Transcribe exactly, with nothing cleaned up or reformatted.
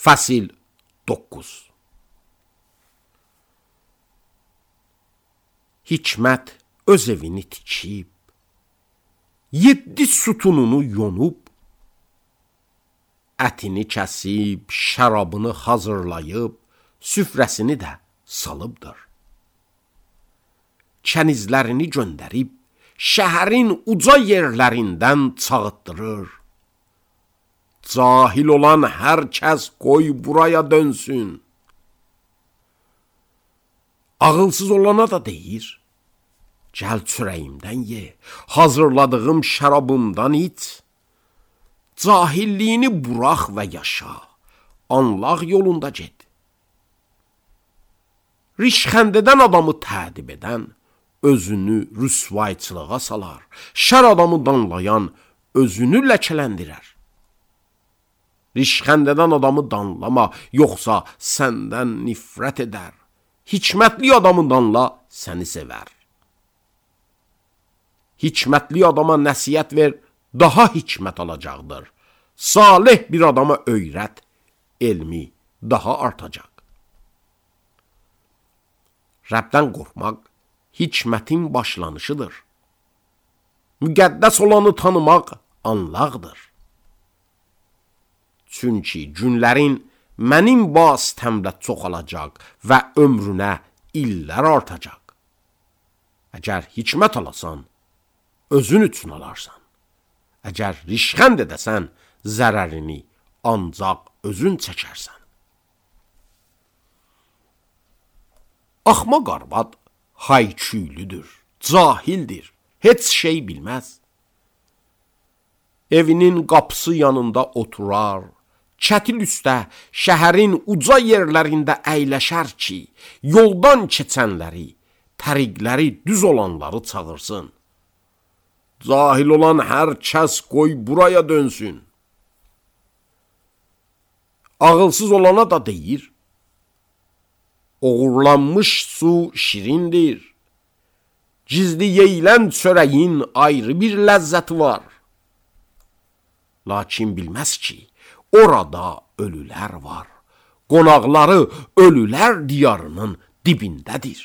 Fəsil doqquz. Hikmət öz evini tikib, yeddi sütununu yonub, ətini kəsib, şərabını hazırlayıb, süfrəsini də salıbdır. Kənizlərini göndərib, şəhərin uca yerlərindən çağıtdırır. Cahil olan hər kəs qoy buraya dönsün. Ağılsız olana da deyir, gəl çörəyimdən ye, hazırladığım şərabımdan iç. Cahilliyini burax və yaşa, anlaq yolunda get. Rişxəndədən adamı tədib edən, özünü rüsvayçılığa salar, şər adamı danlayan, özünü ləkələndirər. Rişxəndədən adamı danlama, yoxsa səndən nifrət edər. Hikmətli adamı danla, səni sevər. Hikmətli adama nəsiyyət ver, daha hikmət alacaqdır. Salih bir adama öyrət, elmi daha artacaq. Rəbdən qorxmaq hikmətin başlanışıdır. Müqəddəs olanı tanımaq anlaqdır. Çünki günlərin mənim vasitəmlə çoxalacaq və ömrünə illər artacaq. Əgər hikmət alasan, özün üçün alarsan. Əgər rişxənd edəsən, zərərini ancaq özün çəkərsən. Axmaq arvad hayküylüdür, cahildir, heç şey bilməz. Evinin qapısı yanında oturar, çətil üstə şəhərin uca yerlərində əyləşər ki, yoldan keçənləri, təriqləri düz olanları çağırsın. Cahil olan hər kəs qoy buraya dönsün. Ağılsız olana da deyir, oğurlanmış su şirindir. Gizli yeyilən çörəyin ayrı bir ləzzəti var. Lakin bilməz ki, orada ölülər var. Qonaqları ölülər diyarının dibindədir.